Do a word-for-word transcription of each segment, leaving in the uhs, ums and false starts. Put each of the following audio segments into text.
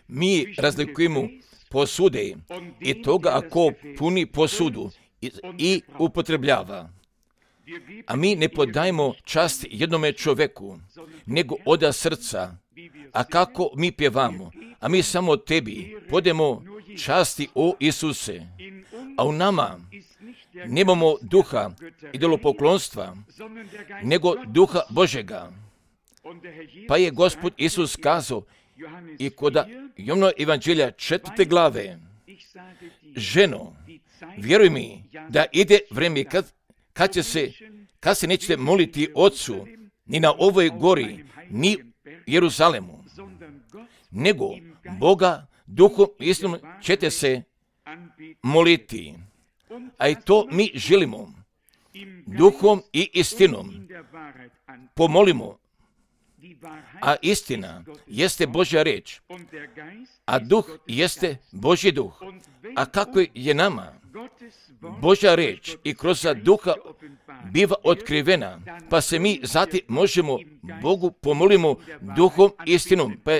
Mi razlikujemo posude i toga ako puni posudu i, i upotrebljava. A mi ne podajemo čast jednome čoveku, nego oda srca. A kako mi pjevamo? A mi samo tebi podemo časti, o Isuse. A u nama nemamo duha idolopoklonstva, nego duha Božega. Pa je Gospod Isus kazao i kod Jovana evanđelja četvrte glave, ženo, vjeruj mi da ide vrijeme kad, kad će se, kad se nećete moliti Otcu ni na ovoj gori, ni Jeruzalemu, nego Boga duhom istinom ćete se moliti. A i to mi želimo. Duhom i istinom pomolimo. A istina jeste Božja riječ, a duh jeste Božji duh. A kako je nama Božja riječ i kroz duha biva otkrivena, pa se mi zatim možemo Bogu pomolimo duhom istinom. Pa,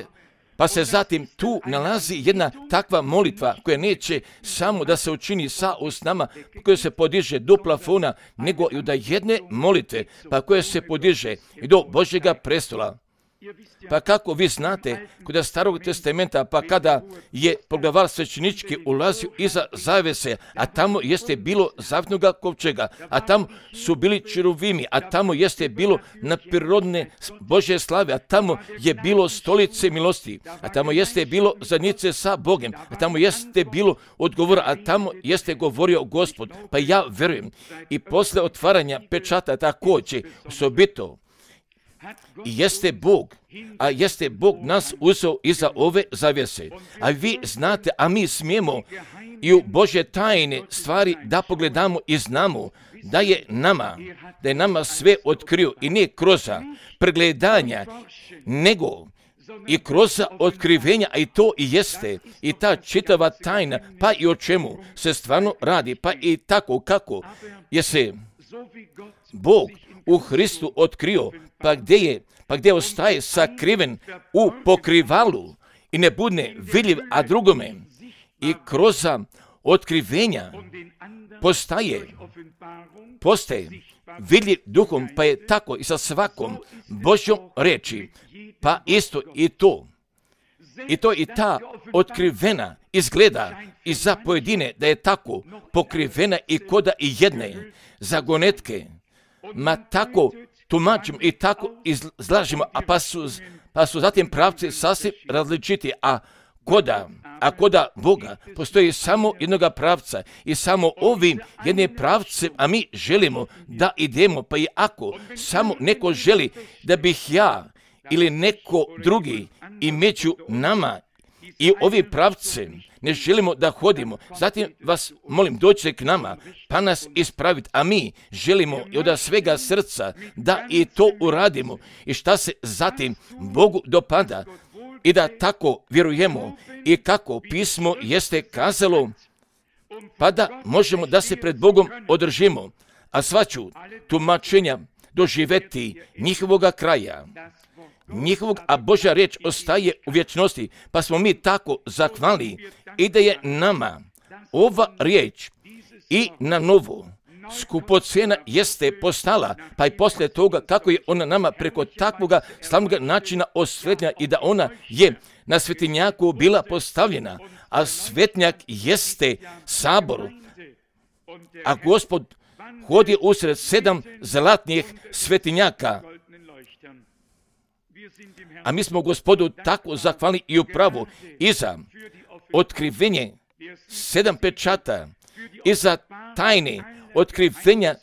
pa se zatim tu nalazi jedna takva molitva koja neće samo da se učini sa usnama, koja se podiže do plafona, nego i da jedne molite, pa koja se podiže i do Božjega prestola. Pa kako vi znate, kod Starog testamenta, pa kada je poglavar svećenički ulazio iza zavese, a tamo jeste bilo zavjetnoga kovčega, a tamo su bili čeruvimi, a tamo jeste bilo naprirodne Božje slave, a tamo je bilo stolice milosti, a tamo jeste bilo zadnjice sa Bogem, a tamo jeste bilo odgovora, a tamo jeste govorio Gospod. Pa ja verujem i posle otvaranja pečata također osobito i jeste Bog, a jeste Bog nas uzeo iza ove zavjese. A vi znate, a mi smijemo i u Božje tajne stvari da pogledamo i znamo da je nama, da je nama sve otkrio i ne kroz pregledanja, nego i kroz otkrivenja, a i to i jeste, i ta čitava tajna, pa i o čemu se stvarno radi, pa i tako kako je se Bog u Hristu otkrio, pa gdje je, pa gdje ostaje sakriven u pokrivalu i ne bude vidljiv, a drugome i kroz otkrivenja postaje, postaje vidljiv duhom, pa je tako i sa svakom Božjom reči, pa isto i to. I to i ta otkrivena izgleda i za pojedine da je tako pokrivena i koda i jedne zagonetke, ma tako tumačimo i tako izlažimo, a pa su, pa su zatim pravci sasvim različiti, a koda, a koda Boga postoji samo jednoga pravca i samo ovim jednim pravcem, a mi želimo da idemo, pa i ako samo neko želi da bih ja ili neko drugi i među nama i ovim pravcem ne želimo da hodimo, zatim vas molim dođite k nama pa nas ispraviti, a mi želimo i od svega srca da i to uradimo i šta se zatim Bogu dopada i da tako vjerujemo i kako pismo jeste kazalo, pa da možemo da se pred Bogom održimo, a sva ću tumačenja doživeti njihovoga kraja, njihovog, a Božja riječ ostaje u vječnosti, pa smo mi tako zahvali i da je nama ova riječ i na novo skupocena jeste postala, pa i poslije toga kako je ona nama preko takvoga slavnog načina osvetljenja i da ona je na svetinjaku bila postavljena, a svetnjak jeste sabor, a Gospod hodi usred sedam zlatnih svetinjaka. A mi smo Gospodu tako zahvalni i upravo i za otkrivenje sedam pečata i za tajne otkrivenja,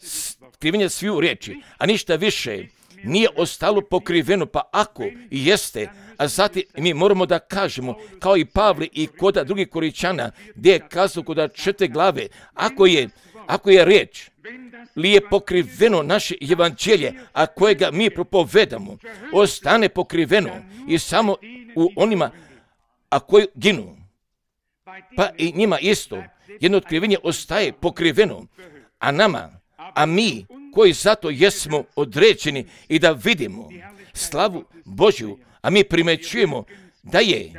otkrivenja sviju riječi, a ništa više nije ostalo pokriveno, pa ako i jeste, a zatim mi moramo da kažemo, kao i Pavli i kod drugih Koričana, gdje je kazao kod četiri glave, ako je, ako je riječ, li je pokriveno naše evanđelje, a kojega mi propovedamo, ostane pokriveno i samo u onima, a koji ginu, pa i njima isto, jedno otkrivenje ostaje pokriveno, a nama, a mi koji zato jesmo određeni i da vidimo slavu Božju, a mi primećujemo da je,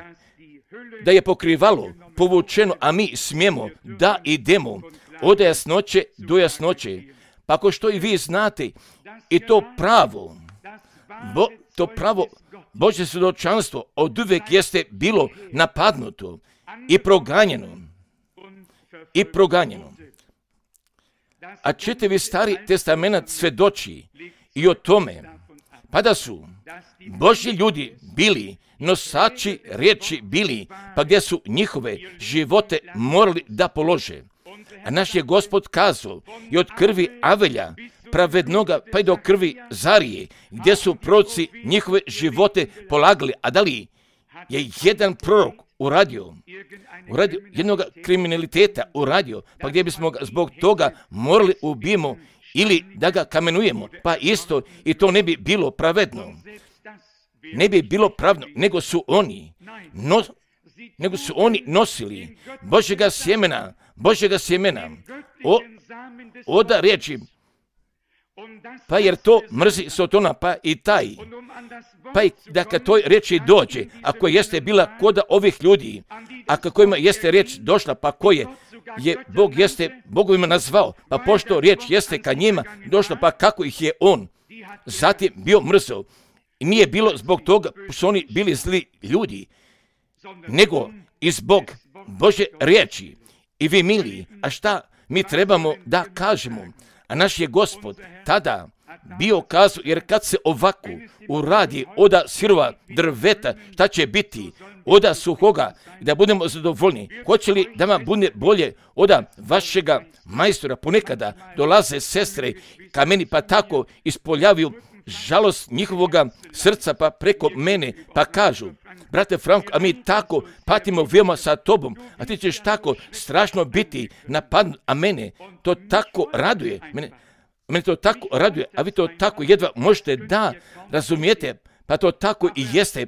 da je pokrivalo povučeno, a mi smijemo da idemo od jasnoće do jasnoće. Pa ako što i vi znate, i to pravo, bo, to pravo Božje svjedočanstvo od uvijek jeste bilo napadnuto i proganjeno. I proganjeno. A čitavi Stari testament svjedoči i o tome, pa da su Božji ljudi bili nosači riječi bili, pa gdje su njihove živote morali da polože. A naš je Gospod kazao i od krvi Avelja, pravednoga, pa i do krvi Zarije, gdje su proroci njihove živote polagali. A da li je jedan prorok uradio, uradio jednog kriminaliteta, uradio, pa gdje bismo ga zbog toga morali ubijemo ili da ga kamenujemo, pa isto i to ne bi bilo pravedno. Ne bi bilo pravno, nego su oni, no, nego su oni nosili Božjega sjemena, Božjega sjemena, o, oda riječi, pa jer to mrzi Sotona, pa i taj, pa i da kad toj riječi dođe, ako jeste bila koda ovih ljudi, a kojima jeste riječ došla, pa koje je Bog jeste Bogovima nazvao, pa pošto riječ jeste ka njima došla, pa kako ih je on zatim bio mrzao. I nije bilo zbog toga što oni bili zli ljudi, nego i zbog Božje riječi. I vi mili, a šta mi trebamo da kažemo? A naš je Gospod tada bio kazao, jer kad se ovako uradi oda sirova drveta, šta će biti? Oda suhoga, da budemo zadovoljni. Hoće li da vam bude bolje oda vašega majstora? Ponekada dolaze sestre ka meni, pa tako ispoljavaju žalost njihovoga srca, pa preko mene, pa kažu, brate Franko, a mi tako patimo veoma sa tobom, a ti ćeš tako strašno biti napadnut, a mene to tako raduje, mene, mene to tako raduje, a vi to tako jedva možete da razumijete, pa to tako i jeste,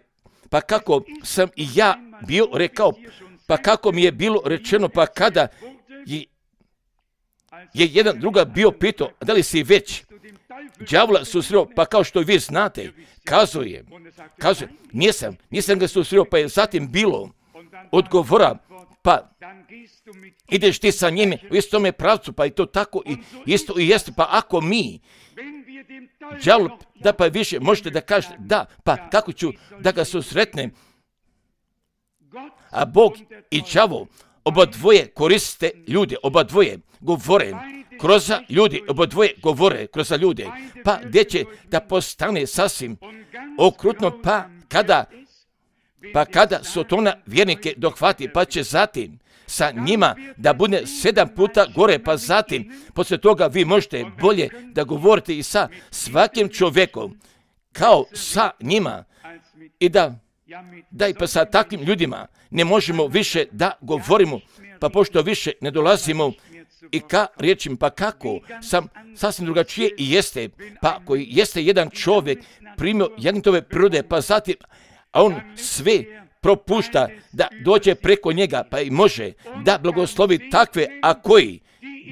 pa kako sam i ja bio rekao, pa kako mi je bilo rečeno, pa kada je, je jedan druga bio pitao, da li si već đavola susreo, pa kao što vi znate, kazuje, kazuje, nisam, nisam ga susreo, pa je zatim bilo odgovora, pa ideš ti sa njime u istome pravcu, pa i to tako i isto i jeste, pa ako mi đavol, da pa više možete da kažete, da, pa kako ću da ga susretnem, a Bog i đavol oba dvoje koriste ljude, oba dvoje govore kroz ljudi, oba dvoje govore kroz ljude, pa gdje će da postane sasvim okrutno, pa kada, pa kada Sotona vjernike dohvati, pa će zatim sa njima da bude sedam puta gore, pa zatim poslije toga vi možete bolje da govorite i sa svakim čovjekom kao sa njima i da, da i pa sa takvim ljudima ne možemo više da govorimo, pa pošto više ne dolazimo i ka riječim, pa kako sam sasvim drugačije i jeste, pa koji jeste jedan čovjek primio jagnjetove prirode, pa zatim, a on sve propušta da dođe preko njega, pa i može da blagoslovi takve, a koji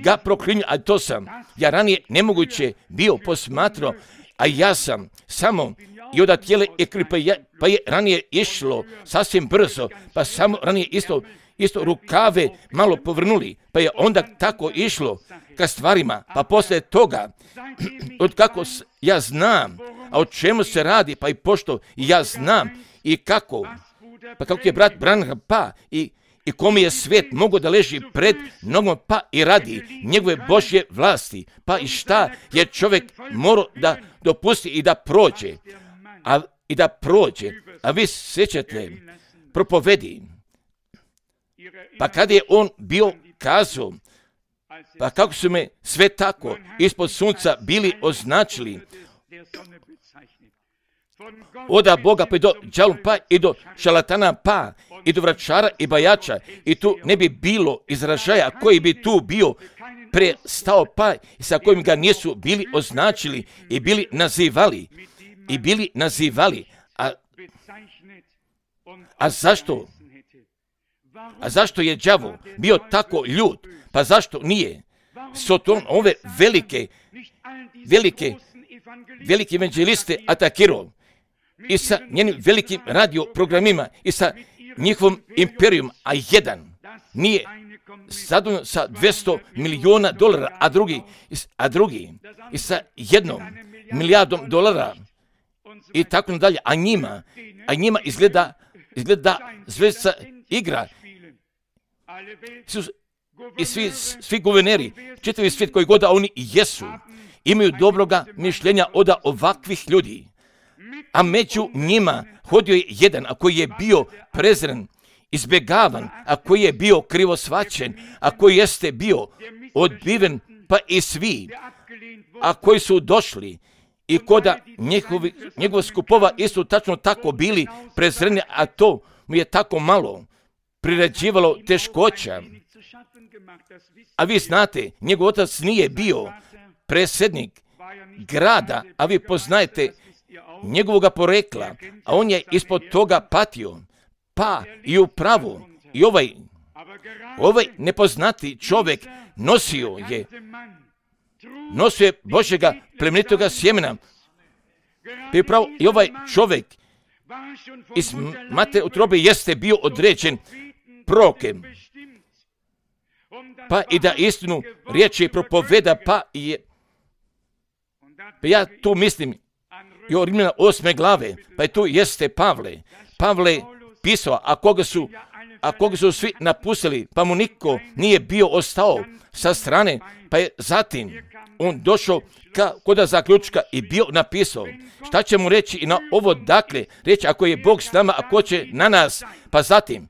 ga proklinju, a to sam ja ranije nemoguće bio posmatrao, a ja sam samo i od tijele i kripa, pa je ranije išlo sasvim brzo, pa samo ranije isto isto rukave malo povrnuli, pa je onda tako išlo ka stvarima, pa poslije toga, od kako ja znam, a o čemu se radi, pa i pošto ja znam i kako, pa kako je brat Branham, pa i, i kome je svijet mogo da leži pred nogom, pa i radi njegove Božje vlasti, pa i šta je čovjek morao da dopusti i da prođe, a i da prođe, a vi sjećate propovedi, pa kada je on bio kazao, pa kako su me sve tako ispod sunca bili označili, oda Boga pa i do đavola, pa i do šalatana, pa i do vračara i bajača, i tu ne bi bilo izražaja koji bi tu bio prestao, pa i sa kojim ga nisu bili označili i bili nazivali, i bili nazivali, a, a zašto? A zašto je đavol bio tako ljut? Pa zašto nije Soton ove velike, velike, velike evanđeliste atakirao? i sa njenim velikim radio programima i sa njihovom imperijom, a jedan nije zadovoljan sa dvjesto milijuna dolara, a drugi, a drugi i sa jednom milijardom dolara i tako dalje, a njima, a njima izgleda, izgleda zvezda igra. I svi, svi guverneri, čitavi svijet koji god da oni jesu, imaju dobroga mišljenja od ovakvih ljudi. A među njima hodio je jedan, a koji je bio prezren, izbjegavan, a koji je bio krivo shvaćen, a koji jeste bio odbiven, pa i svi, a koji su došli i koda njihovi, njegova skupova isto tačno tako bili prezreni, a to mu je tako malo priređivalo teškoća. A vi znate, njegov otac nije bio predsjednik grada, a vi poznajete njegovoga porekla, a on je ispod toga patio. Pa i u pravu, i ovaj, ovaj nepoznati čovjek nosio je, nosio je Božjega plemenitoga sjemena. Pa i upravo i ovaj čovjek iz matere utrobe jeste bio određen prorokem. Pa i da istinu riječi propoveda, pa je, pa ja tu mislim i o Rimljana osme glave, pa i tu jeste Pavle. Pavle pisao, a koga su, a koga su svi napustili, pa mu niko nije bio ostao sa strane, pa je zatim on došao ka, koda zaključka i bio napisao. Šta će mu reći i na ovo dakle, reći ako je Bog s nama, ako će na nas, pa zatim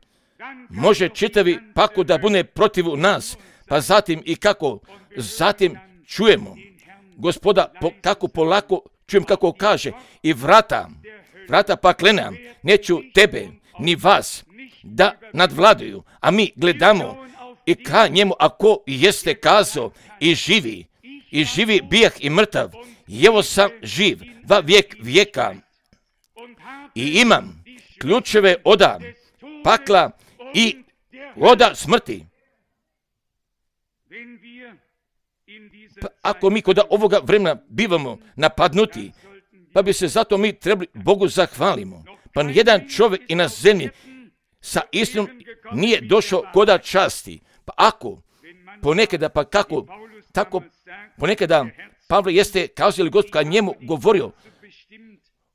može čitavi pako da bude protiv nas, pa zatim i kako, zatim čujemo Gospoda po, kako polako čujem kako kaže i vrata, vrata paklena neću tebe ni vas da nadvladaju, a mi gledamo i ka njemu ako jeste kazao i živi, i živi bijah i mrtav, i evo sam živ va vijek vijeka i imam ključeve oda pakla i oda smrti. Pa ako mi kod ovoga vremena bivamo napadnuti, pa bi se zato mi trebali Bogu zahvalimo. Pa nijedan čovjek i na zemlji sa istinom nije došao koda časti. Pa ako ponekada, pa kako, tako ponekada Pavle jeste kazao ili Gospod njemu govorio,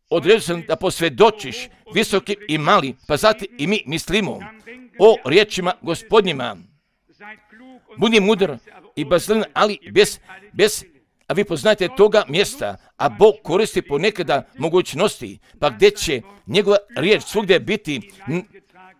odredio sam da posvjedočiš visoki i mali, pa zatim i mi mislimo o riječima Gospodnjima. Budi mudar i bazlen, ali bez, bez, a vi poznajete toga mjesta, a Bog koristi ponekada mogućnosti, pa gdje će njegova riječ svugdje biti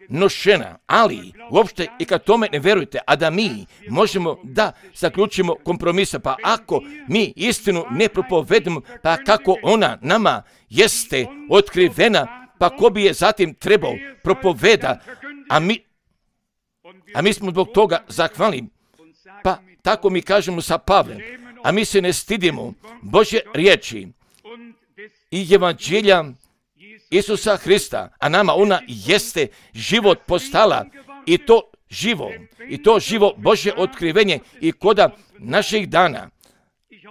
nošena, ali uopšte i kad tome ne verujete, a da mi možemo da zaključimo kompromisa, pa ako mi istinu ne propovedemo, pa kako ona nama jeste otkrivena, pa ko bi je zatim trebao propoveda, a mi, a mi smo zbog toga zahvalni, pa tako mi kažemo sa Pavlem, a mi se ne stidimo Božje riječi i evanđelja Isusa Hrista, a nama ona jeste život postala i to živo, i to živo Božje otkrivenje i koda naših dana.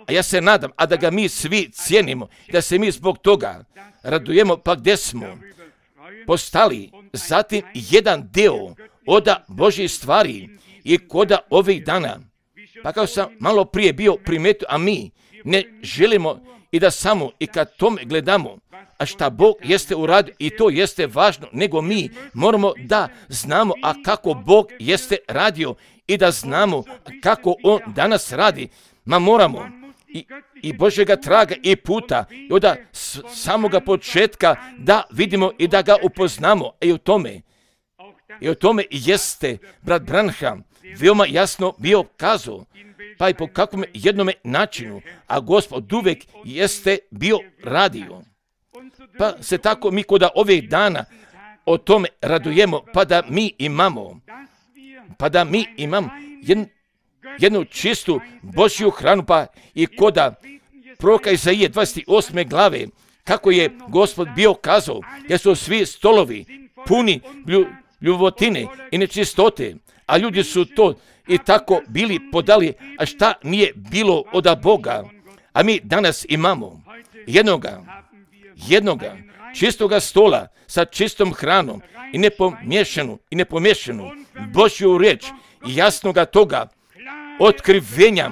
A ja se nadam, a da ga mi svi cijenimo, da se mi zbog toga radujemo, pa gdje smo postali zatim jedan deo oda Božjih stvari i koda ovih dana. Pa kao sam malo prije bio primetio, a mi ne želimo i da samo i kad tome gledamo, a šta Bog jeste uradio i to jeste važno, nego mi moramo da znamo, a kako Bog jeste radio i da znamo kako On danas radi, ma moramo i, i Božjega traga i puta i od samoga početka da vidimo i da ga upoznamo i u tome, i u tome jeste brat Branham veoma jasno bio kazao, pa i po kakvom jednome načinu, a Gospod uvijek jeste bio radio. Pa se tako mi kod ovih dana o tome radujemo, pa da mi imamo, pa da mi imamo jednu, jednu čistu Božju hranu, pa i koda proroka Izaije dvadeset osme glave, kako je Gospod bio kazao, jer su svi stolovi puni ljubotine i nečistote, a ljudi su to i tako bili podali, a šta nije bilo od Boga. A mi danas imamo jednoga, jednoga čistoga stola sa čistom hranom i nepomiješanu i nepomiješanu Božju riječ i jasnoga toga otkrivenja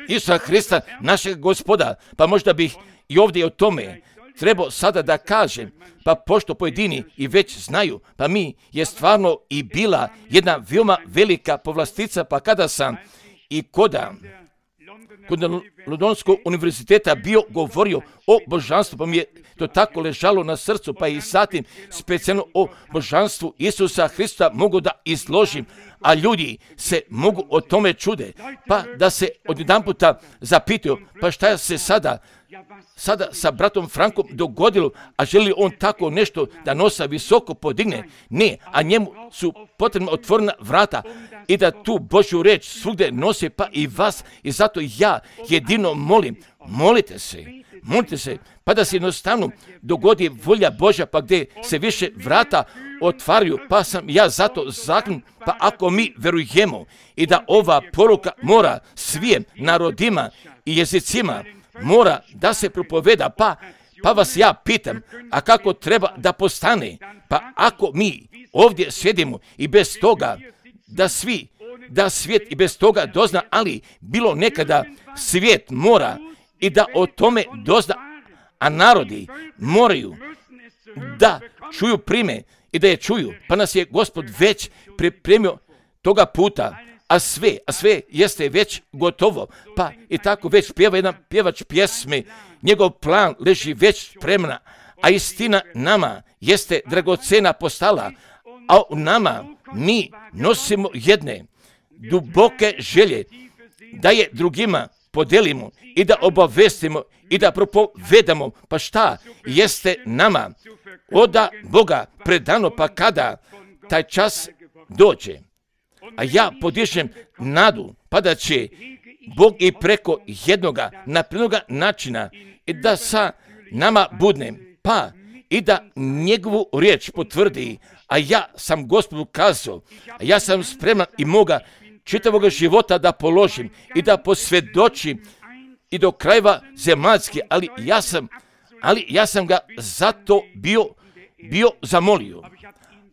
Isusa Hrista, našeg Gospoda. Pa možda bih i ovdje o tome trebao sada da kažem, pa pošto pojedini i već znaju, pa mi je stvarno i bila jedna veoma velika povlastica, pa kada sam i koda kod Londonskog univerziteta bio govorio o božanstvu, pa mi je to tako ležalo na srcu, pa i zatim specijalno o božanstvu Isusa Hrista mogu da izložim, a ljudi se mogu o tome čude, pa da se odjedanputa zapitaju, pa šta se sada sada sa bratom Frankom dogodilo, a želi on tako nešto da nosa visoko podigne? Ne, a njemu su potrebna otvorena vrata i da tu Božju reč svugdje nose, pa i vas, i zato ja jedino molim, molite se, molite se, pa da se jednostavno dogodi volja Božja, pa gdje se više vrata otvaraju, pa sam ja zato zaklinut, pa ako mi verujemo i da ova poruka mora svim narodima i jezicima mora da se propoveda, pa, pa vas ja pitam, a kako treba da postane? Pa ako mi ovdje sjedimo i bez toga da svi, da svijet i bez toga dozna, ali bilo nekada svijet mora i da o tome dozna, a narodi moraju da čuju prime i da je čuju, pa nas je Gospod već pripremio toga puta, a sve, a sve jeste već gotovo, pa i tako već pjeva jedan pjevač pjesme, njegov plan leži već spremna, a istina nama jeste dragocena postala, a u nama mi nosimo jedne duboke želje da je drugima podelimo i da obavestimo i da propovedamo, pa šta jeste nama oda Boga predano, pa kada taj čas dođe. A ja podižem nadu, pa da će Bog i preko jednoga naprednoga načina i da sa nama budne, pa i da njegovu riječ potvrdi, a ja sam Gospodu kazao, a ja sam spreman i moga čitavog života da položim i da posvjedočim i do krajeva zemaljske, ali ja sam, ali ja sam ga zato bio, bio zamolio.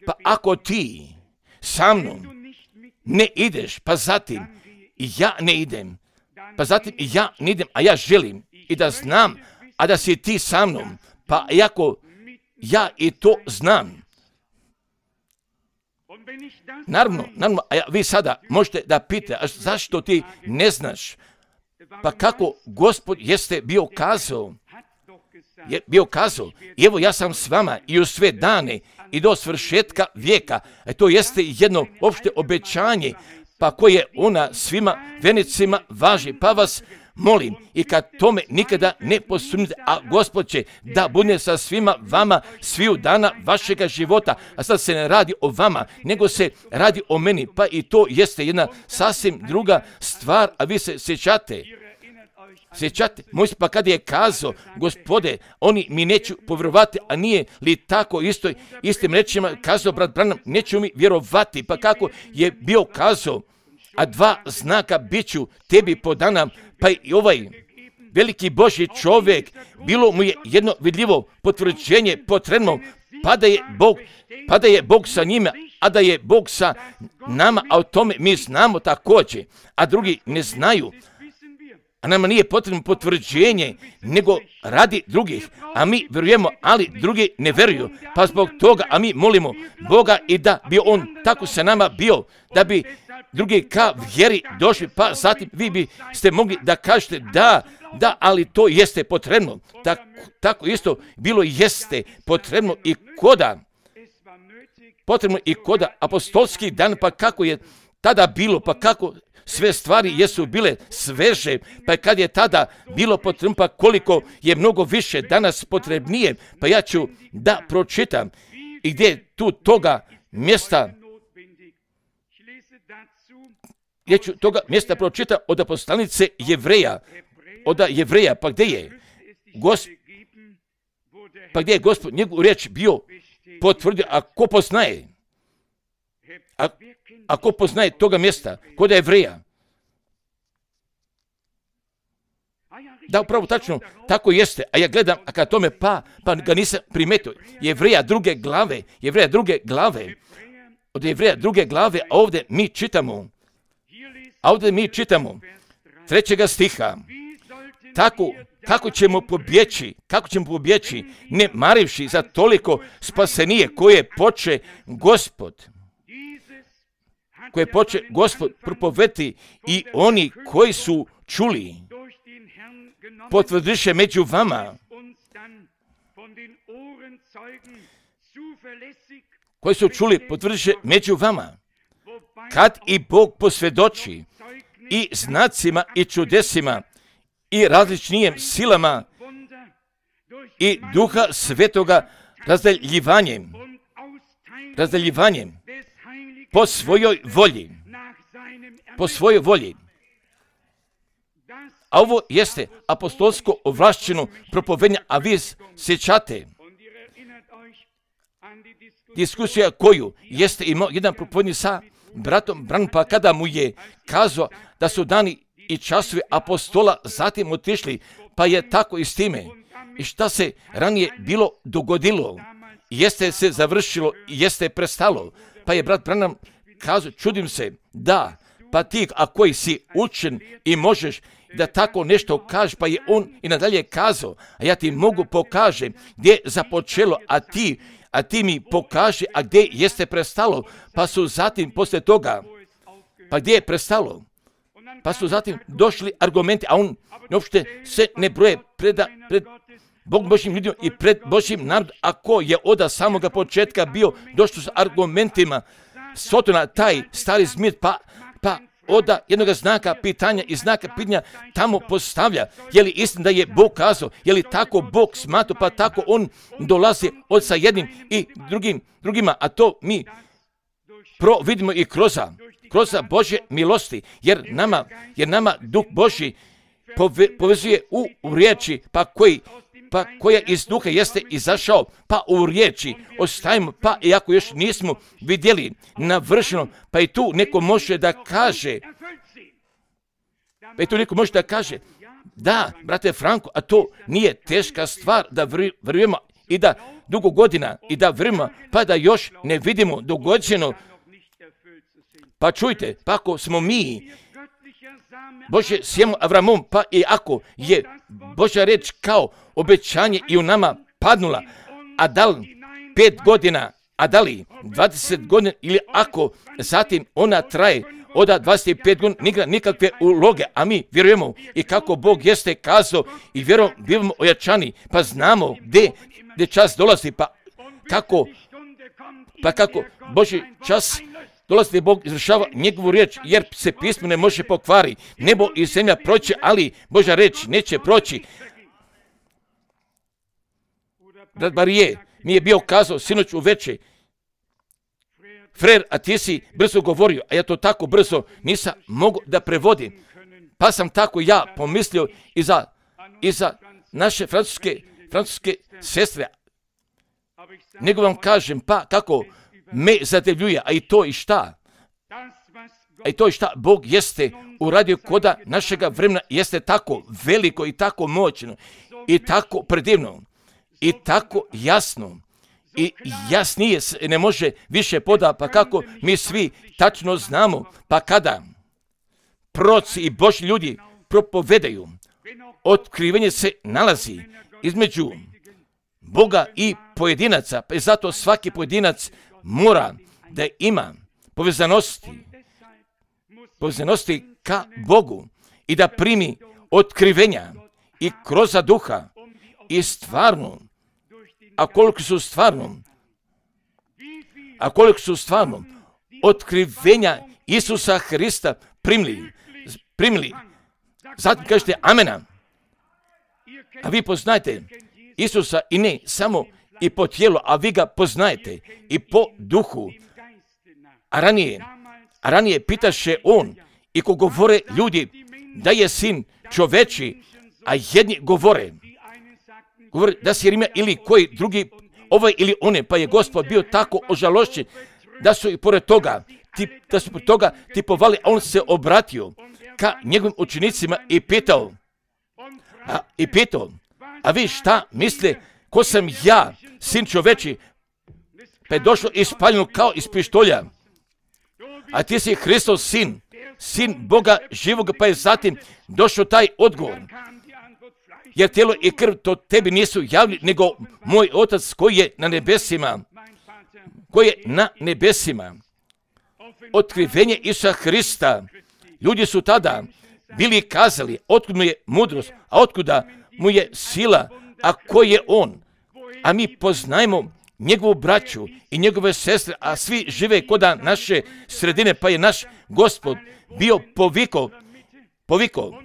Pa ako ti sa mnom ne ideš, pa zatim i ja ne idem, pa zatim i ja ne idem, a ja želim i da znam, a da si ti sa mnom, pa iako ja i to znam. Naravno, naravno, a vi sada možete da pitate, a zašto ti ne znaš? Pa kako Gospod jeste bio kazao, je bio kazao, i evo ja sam s vama i u sve dane i do svršetka vijeka. E to jeste jedno opšte obećanje, pa koje ona svima venicima važi. Pa vas molim, i kad tome nikada ne posumnite, a Gospod će da bude sa svima vama sviju dana vašega života. A sad se ne radi o vama, nego se radi o meni, pa i to jeste jedna sasvim druga stvar, a vi se sjećate. Sjećate, moj pa kad je kazao, Gospode, oni mi neću povjerovati, a nije li tako isto, istim rečima kazao brat Branham, neću mi vjerovati, pa kako je bio kazao, a dva znaka bit ću tebi podana, pa i ovaj veliki Božji čovjek, bilo mu je jedno vidljivo potvrđenje potrebno, pa da je Bog, pa da je Bog sa njima, a da je Bog sa nama, a o tome mi znamo također, a drugi ne znaju. A nama nije potrebno potvrđenje, nego radi drugih, a mi vjerujemo, ali drugi ne vjeruju. Pa zbog toga, a mi molimo Boga i da bi On tako sa nama bio, da bi drugi ka vjeri došli, pa zatim vi bi ste mogli da kažete da, da, ali to jeste potrebno. Tako, tako isto bilo jeste potrebno i koda, potrebno i koda apostolski dan, pa kako je tada bilo, pa kako sve stvari jesu bile sveže, pa kad je tada bilo potrebno, pa koliko je mnogo više danas potrebnije, pa ja ću da pročitam i gdje je tu toga mjesta, gdje ću toga mjesta pročitam od poslanice Jevreja, od Jevreja, pa gdje je Gospod, pa gdje je Gospod njegovu riječ bio potvrdio, a ko poznaje? A, a ko poznaje toga mjesta? Kod Jevreja? Da, upravo tačno, tako jeste. A ja gledam, a kad tome pa, pa ga nisam primetio. Jevreja druge glave, Jevreja druge glave, od Jevreja druge glave, a ovdje mi čitamo, a ovdje mi čitamo, trećega stiha, tako, kako ćemo pobjeći, kako ćemo pobjeći, ne marivši za toliko spasenije koje poče Gospod, koje poče Gospod propovedati i oni koji su čuli, potvrdiše među vama, koji su čuli, potvrdiše među vama, kad i Bog posvjedoči i znacima i čudesima i različnijim silama i Duha Svetoga razdaljivanjem, razdaljivanjem po svojoj volji, po svojoj volji. A ovo jeste apostolsko ovlašćeno propovedanje, a vi sjećate diskusija koju jeste imao jedan propovednik sa bratom Branham, pa kada mu je kazao da su dani i časovi apostola zatim otišli, pa je tako i s time. I šta se ranije bilo dogodilo, jeste se završilo, jeste prestalo. Pa je brat Branham kazao, čudim se, da, pa ti, a koji si učen i možeš da tako nešto kažeš, pa je on i nadalje kazao, a ja ti mogu pokažem gdje je započelo, a ti, a ti mi pokaži, a gdje jeste prestalo, pa su zatim poslije toga, pa gdje je prestalo, pa su zatim došli argumenti, a on uopšte se ne broje preda, pred Bog Božjim ljudima i pred Božjim narodom, ako je od samoga početka bio došlo s argumentima, Sotona, taj stari zmir, pa, pa oda jednoga znaka pitanja i znaka pitanja tamo postavlja. Je li istina da je Bog kazao? Je li tako Bog smatrao? Pa tako on dolazi od sa jednim i drugim, drugima, a to mi pro vidimo i kroza, kroza Božje milosti, jer nama, jer nama Duh Božji pove, povezuje u, u riječi, pa koji pa koja iz duha jeste izašao, pa u riječi ostajemo, pa iako još nismo vidjeli navršeno, pa i tu neko može da kaže, pa i tu neko može da kaže, da, brate Franko, a to nije teška stvar da vjerujemo i da dugo godina i da vjerujemo, pa da još ne vidimo dogođeno. Pa čujte, pa ako smo mi Bože sjemo Avramom, pa i ako je Božja reč kao obećanje i u nama padnula, a da li pet godina, a da li dvadeset godina, ili ako zatim ona traje od dvadeset pet godina, nigra nikakve uloge, a mi vjerujemo i kako Bog jeste kazao i vjerujemo, bivamo ojačani, pa znamo gdje, gdje čas dolazi, pa kako, pa kako Božji čas dolazi, Bog izvršava njegovu riječ, jer se pismo ne može pokvari. Nebo i zemlja proći, ali Božja riječ neće proći. Brat Barije mi je bio kazao sinoć u veče, Frer, a ti si brzo govorio, a ja to tako brzo nisam mogu da prevodim. Pa sam tako ja pomislio i za, i za naše francuske, francuske sestre. Nego vam kažem, pa kako me zadevljuje, a i to i šta? A i to i šta? Bog jeste uradio koda našega vremena, jeste tako veliko i tako moćno i tako predivno i tako jasno i jasnije se ne može više poda, pa kako mi svi tačno znamo, pa kada proroci i Božji ljudi propovedaju, otkrivenje se nalazi između Boga i pojedinaca, pa i zato svaki pojedinac mora da ima povezanosti, povezanosti ka Bogu i da primi otkrivenja i kroz duha i stvarno, a koliko su stvarno, a koliko su stvarno otkrivenja Isusa Hrista primili, primili. Zatim kažete amena, a vi poznajete Isusa i ne samo i po tijelu, a vi ga poznajete i po duhu. A ranije, a ranije pitaše on i ko govore ljudi da je sin čoveči, a jedni govore, govore da si Rimljan ili koji drugi, ovaj ili one, pa je Gospod bio tako ožalošćen da su i pored toga, tip, da su pored toga tipovali, a on se obratio ka njegovim učenicima i pitao, a, i pitao, a vi šta misle, ko sam ja, sin čoveči, pa je došlo ispaljeno kao iz pištolja. A ti si Hristov sin, sin Boga živoga, pa je zatim došao taj odgovor. Jer tijelo i krv to tebi nisu javili, nego moj Otac koji je na nebesima, koji je na nebesima. Otkrivenje Isusa Hrista. Ljudi su tada bili kazali, otkud mu je mudrost, a otkuda mu je sila, a ko je on? A mi poznajemo njegovu braću i njegove sestre, a svi žive koda naše sredine, pa je naš Gospod bio poviko, poviko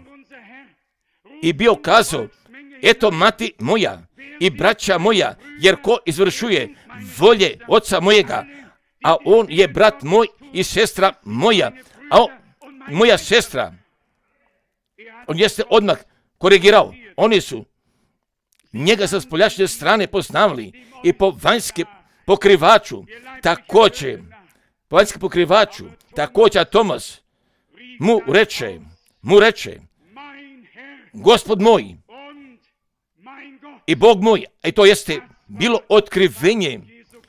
i bio kazao, eto mati moja i braća moja, jer ko izvršuje volje oca mojega, a on je brat moj i sestra moja, a on, moja sestra, on jeste odmah korigirao, oni su njega sa spoljašnje strane poznavali i po vanjske pokrivaču, također, po vanjske pokrivaču, također Tomas mu reče, mu reče, Gospod moj i Bog moj, i to jeste bilo otkrivenje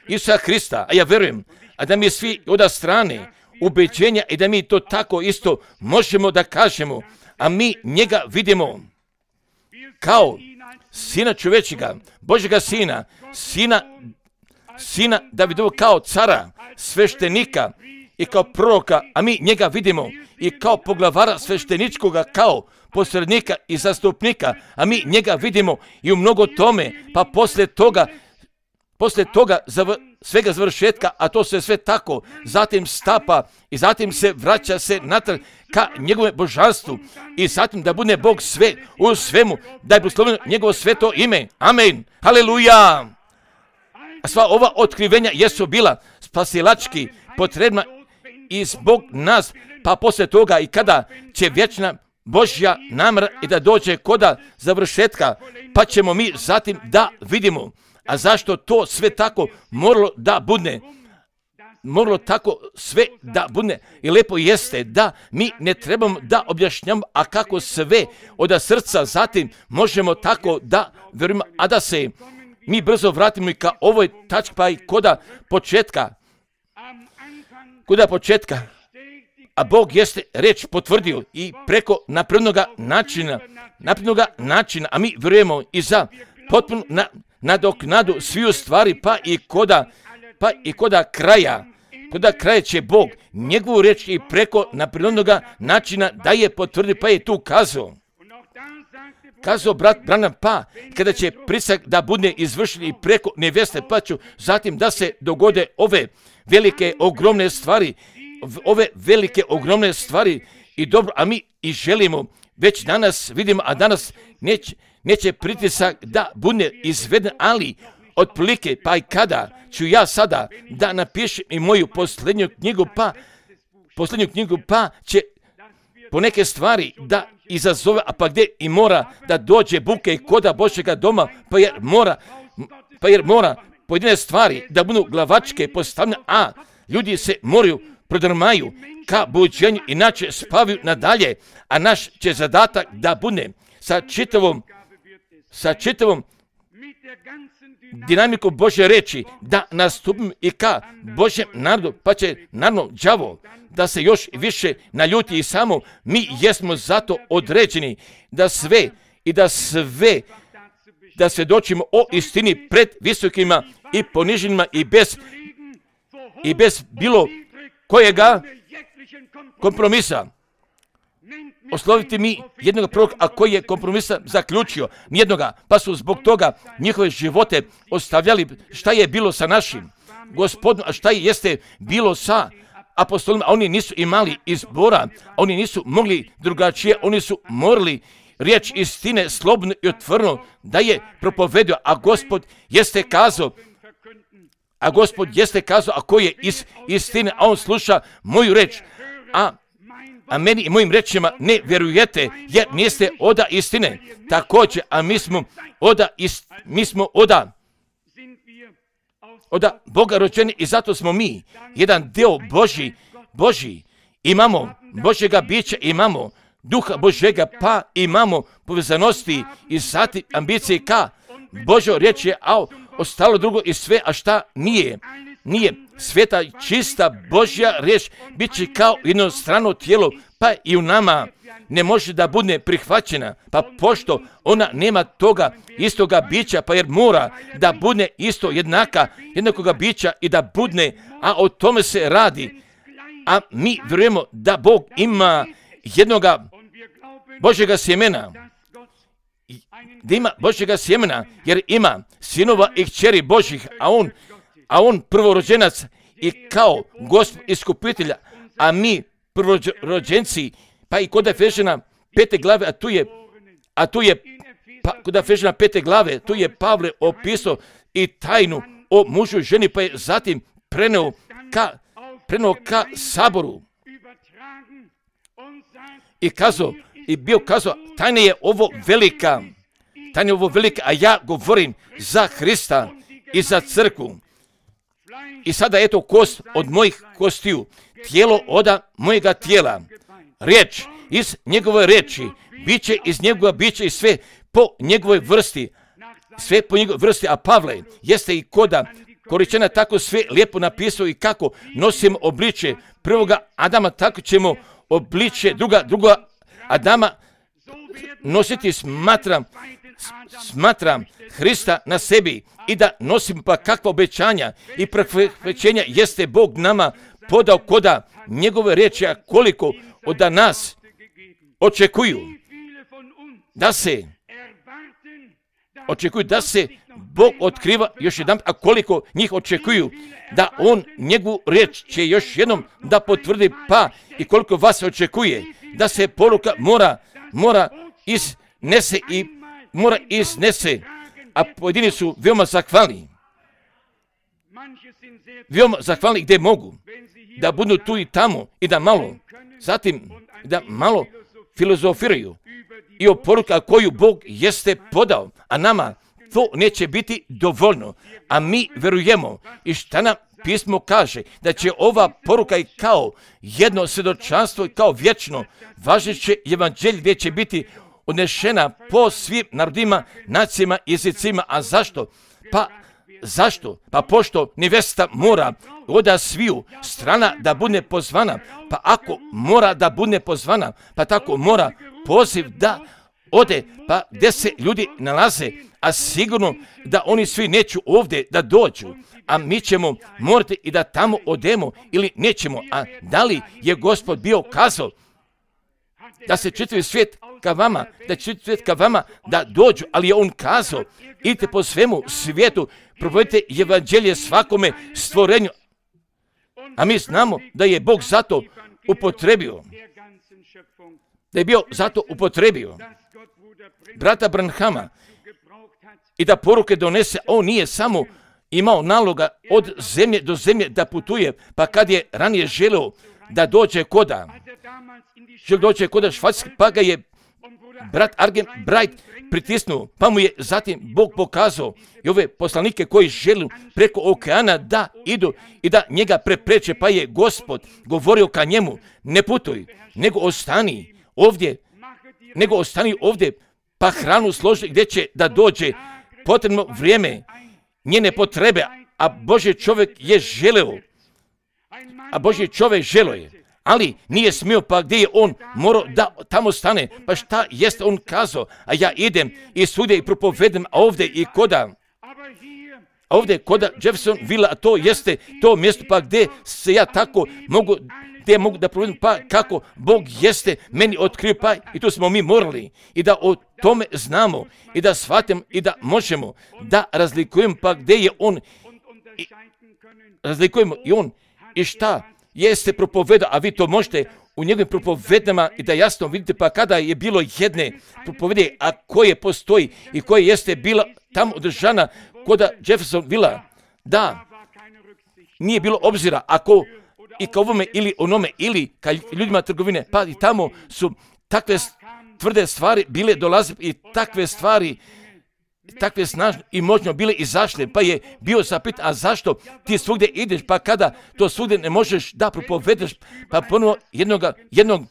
Isusa Hrista, a ja verujem, a da mi svi od strane ubeđenja i da mi to tako isto možemo da kažemo, a mi njega vidimo kao sina čovečega, Božjega sina, sina, sina Davidova kao cara, sveštenika i kao proroka, a mi njega vidimo i kao poglavara svešteničkoga, kao posrednika i zastupnika, a mi njega vidimo i u mnogo tome, pa posle toga, posle toga zavr, svega završetka, a to se sve tako, zatim stapa i zatim se vraća se natrag ka njegove božanstvu i zatim da bude Bog sve u svemu, da je blagosloveno njegovo sveto ime. Amen. Haleluja. A sva ova otkrivenja jesu bila spasilački potrebna i zbog nas, pa posle toga i kada će vječna Božja namjera i da dođe koda završetka, pa ćemo mi zatim da vidimo. A zašto to sve tako moralo da bude? Moralo tako sve da bude. I lepo jeste da mi ne trebamo da objašnjamo, a kako sve od srca zatim možemo tako da verujemo, a da se mi brzo vratimo i ka ovoj tački, pa i koda početka. Koda početka. A Bog jeste reč potvrdio i preko naprednoga načina, naprednoga načina, a mi verujemo i za potpuno na, nadoknadu sviju stvari, pa i koda, pa i koda kraja, koda kraja će Bog njegovu reč i preko naprednoga načina da je potvrdi, pa je tu kazao. Kazao brat Branham, pa kada će prisak da bude izvršen i preko neveste, pa ću zatim da se dogode ove velike ogromne stvari, ove velike ogromne stvari i dobro, a mi i želimo, već danas vidimo, a danas neće, neće pritisak da bude izveden, ali otprilike, pa i kada ću ja sada da napišem i moju posljednju knjigu, pa posljednju knjigu, pa će po neke stvari da izazove, a pa gdje i mora da dođe buke i koda Božjega doma, pa jer mora, pa jer mora pojedine stvari da budu glavačke postavljene, a ljudi se moraju prodrmaju ka buđenju, inače spavaju nadalje, a naš će zadatak da bude sa čitavom, sa čitavom dinamikom Božje reči, da nastupim i ka Božjem narodu, pa će naravno đavo da se još više naljuti i samo mi jesmo zato određeni da sve i da sve, da svjedočimo o istini pred visokima i poniženima i bez, i bez bilo kojega kompromisa. Osloviti mi jednog proroka, a koji je kompromisa zaključio, nijednoga, pa su zbog toga njihove živote ostavljali. Šta je bilo sa našim Gospodom, a šta je jeste bilo sa apostolima, a oni nisu imali izbora, oni nisu mogli drugačije, oni su morali riječ istine slobodno i otvoreno da je propovedio, a Gospod jeste kazao, a Gospod jeste kazao, a koji je iz istine, a on sluša moju reč, a a meni i mojim rečima ne vjerujete, jer niste oda istine. Također, a mi smo oda, ist, mi smo oda, oda Boga rođeni i zato smo mi jedan dio Božji, Božji. Imamo Božjega bića, imamo Duha Božjega, pa imamo povezanosti i zatim ambicije ka Božja riječ je, a ostalo drugo i sve, a šta nije. Nije sveta, čista Božja riječ, bit će kao jedno strano tijelo, pa i u nama ne može da bude prihvaćena, pa pošto ona nema toga istoga bića, pa jer mora da bude isto jednaka, jednakoga bića i da bude, a o tome se radi. A mi vjerujemo da Bog ima jednoga Božjega sjemena, da ima Božjega sjemena, jer ima sinova i kćeri Božjih, a on, a on prvorođenac i kao Gospod iskupitelja, a mi prvorođenci, pa i kod Efežana pete glave, a tu je, a tu je, pa kod Efežana pete glave, tu je Pavle opisao i tajnu o mužu i ženi, pa je zatim preneo ka, preneo ka saboru i kazao, i bio kazao, tajna je ovo velika, tajna je ovo velika, a ja govorim za Hrista i za crkvu. I sada eto kost od mojih kostiju, tijelo oda mojega tijela, riječ iz njegove riječi, biće iz njegova biće i sve po njegovoj vrsti, sve po njegovoj vrsti, a Pavle jeste i koda Koričana tako sve lijepo napisao i kako nosimo obličje prvoga Adama, tako ćemo obličje druga, druga Adama nositi, smatram, smatram Hrista na sebi i da nosim pa kakva obećanja i preferenja jeste Bog nama podao koda njegove riječi, a koliko od nas očekuju da se očekuju da se Bog otkriva još jedan, a koliko njih očekuju da on njegovu riječ će još jednom da potvrdi, pa i koliko vas očekuje da se poruka mora, mora iznese i mora iznese, a pojedini su veoma zahvalni. Veoma zahvalni gdje mogu da budu tu i tamo i da malo, zatim da malo filozofiraju i o poruka koju Bog jeste podao, a nama to neće biti dovoljno, a mi vjerujemo i šta nam pismo kaže, da će ova poruka i kao jedno svjedočanstvo i kao vječno važeće evanđelje gdje će biti odnešena po svim narodima, nacijama, jezicima. A zašto? Pa zašto? Pa pošto nevesta mora od sviju strana da bude pozvana, pa ako mora da bude pozvana, pa tako mora poziv da ode, pa gdje se ljudi nalaze, a sigurno da oni svi neću ovdje da dođu, a mi ćemo morati i da tamo odemo ili nećemo. A da li je Gospod bio kazao da se čitavi svijet ka vama, da čitavi svijet ka vama da dođu, ali je on kazao, idite po svemu svijetu, propovjedite evanđelje svakome stvorenju. A mi znamo da je Bog zato upotrebio, da je bio zato upotrebio brata Branhama i da poruke donese. On nije samo imao naloga od zemlje do zemlje da putuje, pa kad je ranije želeo da dođe koda, želeo dođe koda Švajcarske, pa ga je brat Argen Bright pritisnuo, pa mu je zatim Bog pokazao i ove poslanike koji žele preko okeana da idu i da njega prepreče, pa je Gospod govorio ka njemu, ne putuj, nego ostani ovdje, nego ostani ovdje, pa hranu složi gdje će da dođe potrebno vrijeme, njene potrebe, a Božji čovjek je želeo, a Božji čovjek želeo je, ali nije smio, pa gdje je on morao da tamo stane, pa šta jeste on kazao, a ja idem i svugdje i propovedem, a ovdje i koda, a ovdje koda Jeffersonville, a to jeste to mjesto, pa gdje se ja tako mogu, gdje mogu da provedem, pa kako Bog jeste meni otkrio, pa i tu smo mi morali i da o tome znamo i da shvatimo i da možemo da razlikujemo, pa gdje je on, i, razlikujemo i on i šta jeste propovedao, a vi to možete u njegovim propovedama i da jasno vidite, pa kada je bilo jedne propovede, a koje postoji i koje jeste bila tamo održana kod Jeffersonville, da nije bilo obzira ako i ka ovome ili onome ili ka ljudima trgovine, pa i tamo su takve tvrde stvari bile dolaze i takve stvari takve snažne i moćno bile izašle, pa je bio zapitan, a zašto ti svugdje ideš, pa kada to svugdje ne možeš da propovedeš, pa ponovo jednoga, jednog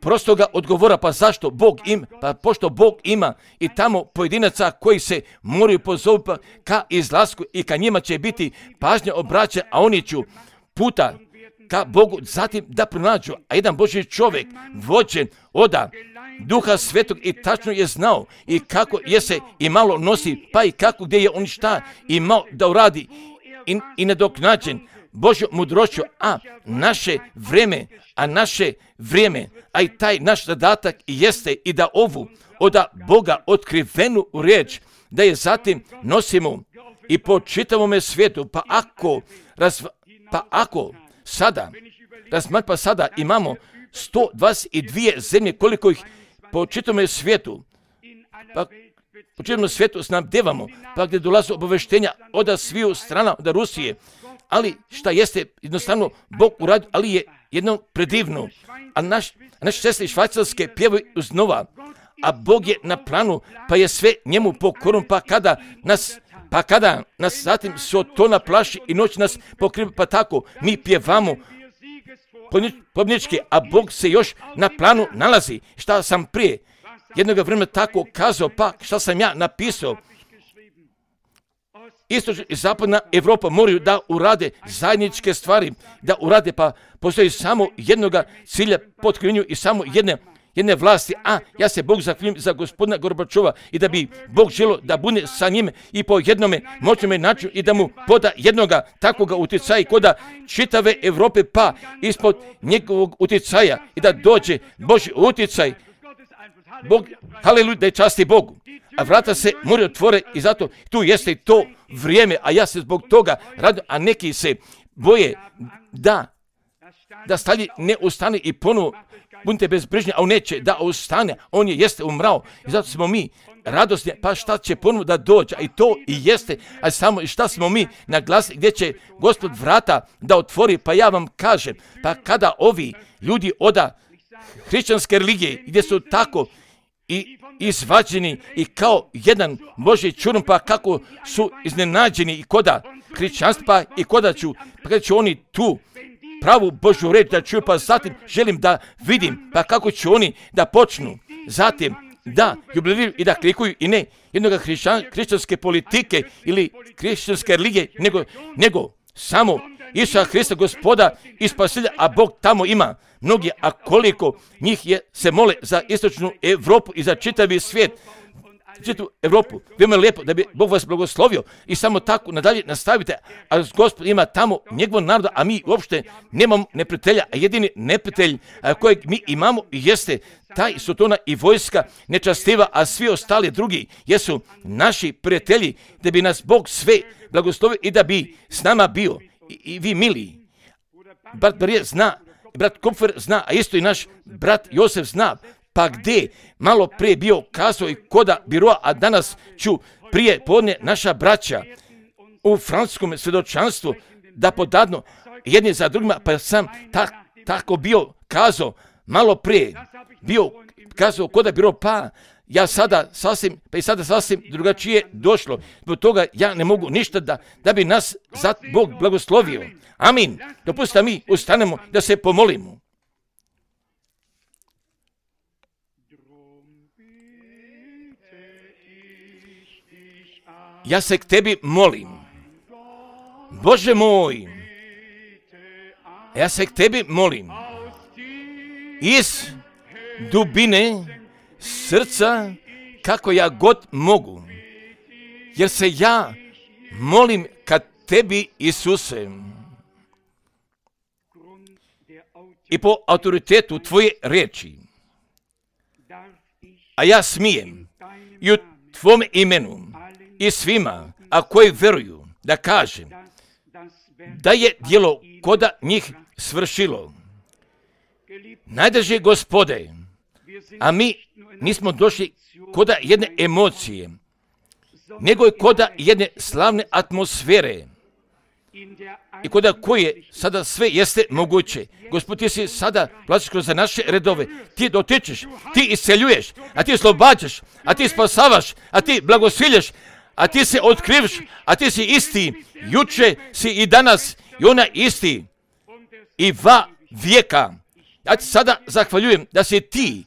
prostoga odgovora, pa zašto Bog ima, pa pošto Bog ima i tamo pojedinaca koji se moraju pozoviti ka izlasku i ka njima će biti pažnja obraća, a oni ću puta ka Bogu zatim da pronađu. A jedan Božji čovjek vođen oda Duha Svetog i tačno je znao i kako je se i malo nosi, pa i kako gdje je on šta imao da uradi i, i nadoknađen Božjom mudrošću, a naše vrijeme, a naše vrijeme, a i taj naš zadatak jeste i da ovu od Boga otkrivenu riječ, da je zatim nosimo i po čitavome svijetu, pa ako, razva, pa ako sada, razmat, pa sada imamo sto dvadeset dvije zemlje koliko ih po čitavome svijetu, pa po čitavom svijetu snabdevamo, pa gdje dolaze obaveštenja od sviju strana, od Rusije, ali šta jeste jednostavno Bog uradio, ali je jedno predivno. A naš, naše sestre Švajcarske pjevaju uznova, a Bog je na planu, pa je sve njemu pokorom, pa kada nas, pa kada nas zatim so to naplaši i noć nas pokriva, pa tako mi pjevamo pobjednički, a Bog se još na planu nalazi. Šta sam prije jednoga vremena tako kazao, pa šta sam ja napisao? Istočna i zapadna Evropa moraju da urade zajedničke stvari, da urade, pa postoji samo jednoga cilja potkrivenju i samo jedne, jedne vlasti, a ja se Bog zahvaljujem za gospodina Gorbačova i da bi Bog želio da bude sa njime i po jednome moćnome načinu i da mu poda jednoga takvoga utjecaja koda čitave Evrope, pa ispod njegovog utjecaja i da dođe Božji utjecaj. Bog, haleluja, da je časti Bogu. A vrata se moraju otvore i zato tu jeste to vrijeme, a ja se zbog toga radim, a neki se boje da da stali ne ustane i ponovo budite bezbrižni, a on neće da ustane, on je jeste umrao i zato smo mi radosni, pa šta će ponovo da dođe, a i to i jeste, a samo i šta smo mi naglasili, gdje će Gospod vrata da otvori, pa ja vam kažem, pa kada ovi ljudi oda hrišćanske religije, gdje su tako i izvađeni i kao jedan Božji čurom, pa kako su iznenađeni i koda hrišćanstva i koda ću, pa kada ću oni tu pravu Božju reč da čuju, pa zatim želim da vidim, pa kako će oni da počnu, zatim da jubiliraju i da klikuju i ne jednoga hrišćan, hrišćanske politike ili hrišćanske religije, nego, nego samo Isusa Hrista Gospoda i Spasitelja, a Bog tamo ima mnogi, a koliko njih je, se mole za istočnu Evropu i za čitavi svijet, čitavu Evropu. Veoma lijepo da bi Bog vas blagoslovio i samo tako nadalje nastavite, a Gospod ima tamo njegov naroda, a mi uopšte nemamo neprijatelja, a jedini neprijatelj kojeg mi imamo jeste taj Sotona i vojska nečastiva, a svi ostali drugi jesu naši prijatelji, da bi nas Bog sve blagoslovio i da bi s nama bio. I, i vi mili, brat Barije zna, brat Kupfer zna, a isto i naš brat Josef zna, pa gdje malo prije bio kazao i koda biroa, a danas ću prije podne naša braća u francuskom svjedočanstvu da podadnu jedni za drugima, pa sam tak, tako bio kazao malo prije, bio kazao koda biroa, pa ja sada sasvim, pa i sada sasvim drugačije došlo. Zbog toga ja ne mogu ništa da, da bi nas za Bog blagoslovio. Amin. Dopustite mi ustanemo da se pomolimo. Ja se k tebi molim. Bože moj, ja se k tebi molim. Iz dubine srca, kako ja god mogu, jer se ja molim ka tebi, Isuse, i po autoritetu tvoje riječi, a ja smijem i u tvome imenu i svima, a koji veruju, da kažem da je djelo koda njih svršilo. Najdraži Gospode, a mi nismo došli koda jedne emocije, nego je koda jedne slavne atmosfere i koda koje sada sve jeste moguće. Gospod, ti si sada plaćaš kroz naše redove, ti dotičeš, ti isceljuješ, a ti oslobađaš, a ti spasavaš, a ti blagosiljaš, a ti se otkriviš, a ti si isti, juče si i danas i ona isti i va vijeka. Ja ti sada zahvaljujem da si ti,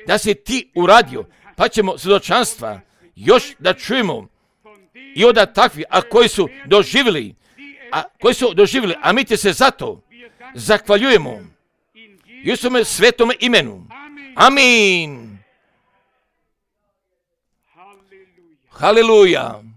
da si ti uradio, pa ćemo svjedočanstva još da čujemo i od takvi, a koji su doživjeli, a koji su doživjeli, a mi ti se zato zahvaljujemo i u svome svetome imenu. Amin. Haleluja.